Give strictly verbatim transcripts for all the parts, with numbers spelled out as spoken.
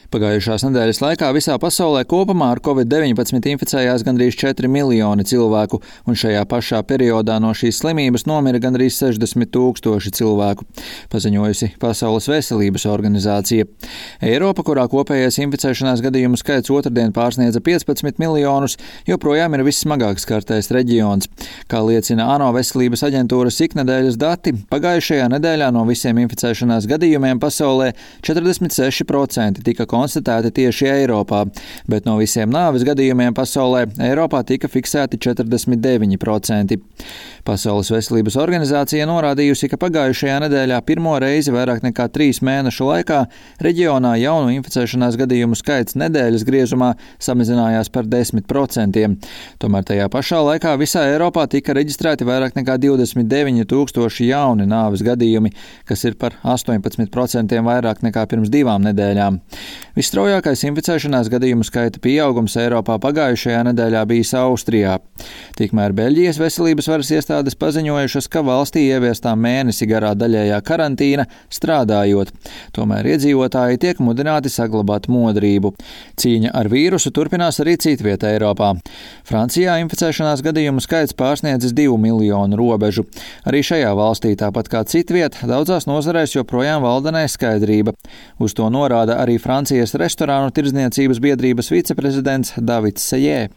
Pagājušās nedēļas laikā visā pasaulē kopumā ar covid deviņpadsmit inficējās gandrīz četri miljoni cilvēku, un šajā pašā periodā no šīs slimības nomira gandrīz sešdesmit tūkstoši cilvēku, paziņojusi Pasaules veselības organizācija. Eiropa, kurā kopējais inficēšanās gadījumu skaits otrdien pārsniedza piecpadsmit miljonus, joprojām ir vissmagāk skartais reģions. Kā liecina ANO veselības aģentūras iknedēļas dati, pagājušajā nedēļā no visiem inficēšanās gadījumiem pasaulē četrdesmit seši procenti tika konstatēti tieši Eiropā, bet no visiem nāves gadījumiem pasaulē Eiropā tika fiksēti četrdesmit deviņi procenti. Pasaules veselības organizācija norādījusi, ka pagājušajā nedēļā pirmo reizi vairāk nekā trīs mēnešu laikā reģionā jaunu inficēšanās gadījumu skaits nedēļas griezumā samazinājās par desmit procentiem. Tomēr tajā pašā laikā visā Eiropā tika reģistrēti vairāk nekā divdesmit deviņi tūkstoši jauni nāves gadījumi, kas ir par astoņpadsmit procentiem vairāk nekā pirms divām nedēļām. Visstraujākais inficēšanās gadījumu skaita pieaugums Eiropā pagājušajā nedēļā bijis Austrijā. Tikmēr Beļģijas veselības varas iestādes paziņojušas, ka valstī ieviestā mēnesi garā daļējā karantīna strādājot. Tomēr iedzīvotāji tiek mudināti saglabāt modrību. Cīņa ar vīrusu turpinās arī citvietā Eiropā. Francijā inficēšanās gadījumu skaits pārsniedzis divu miljonu robežu. Arī šajā valstī, tāpat kā citviet, daudzās nozarēs joprojām valda neskaidrība. Uz to norāda arī Francijas restorānu tirdzniecības biedrības viceprezidents Davids Sejē.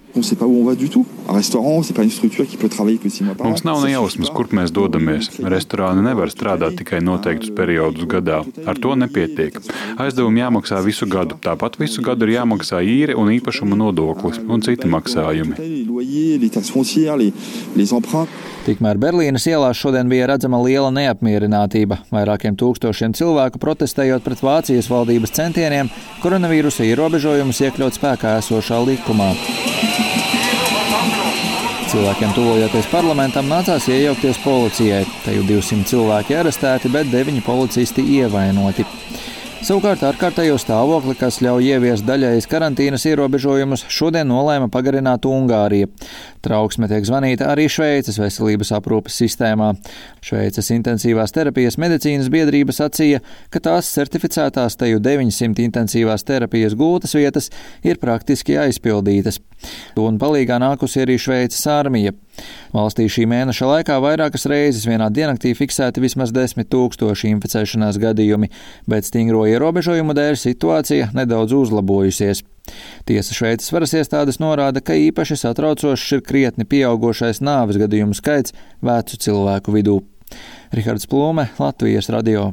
Mums nav ne jausmas, kur mēs dodamies. Restorāni nevar strādāt tikai noteiktus periodus gadā. Ar to nepietiek. Aizdevumi jāmaksā visu gadu. Tāpat visu gadu ir jāmaksā īre un īpašuma nodoklis un citi maksājumi. Tikmēr Berlīnes ielās šodien bija redzama liela neapmierinātība. Vairākiem tūkstošiem cilvēku protestējot pret Vācijas valdības centieniem koronavīrusa ierobežojumus iekļaut spēkā esošā likumā. Cilvēkiem tuvojoties parlamentam nācās iejaukties policijai. Te jau divsimt cilvēki arestēti, bet deviņi policisti ievainoti. Savukārt ārkārtējo stāvokli, kas ļauj ieviest daļējas karantīnas ierobežojumus, šodien nolēma pagarināt Ungārija. Trauksme tiek zvanīta arī Šveices veselības aprūpes sistēmā. Šveices intensīvās terapijas medicīnas biedrība sacīja, ka tās certificētās teju deviņsimt intensīvās terapijas gultas vietas ir praktiski aizpildītas. Un palīgā nākusi arī Šveices armija. Valstī šī mēneša laikā vairākas reizes vienā diennaktī fiksēti vismaz desmit tūkstoši inficēšanās gadījumi, bet stingro ierobežojumu dēļ situācija nedaudz uzlabojusies. Tiesa Šveices varas iestādes norāda, ka īpaši satraucošs ir krietni pieaugošais nāves gadījumu skaits vecu cilvēku vidū. Rihards Plūme, Latvijas radio.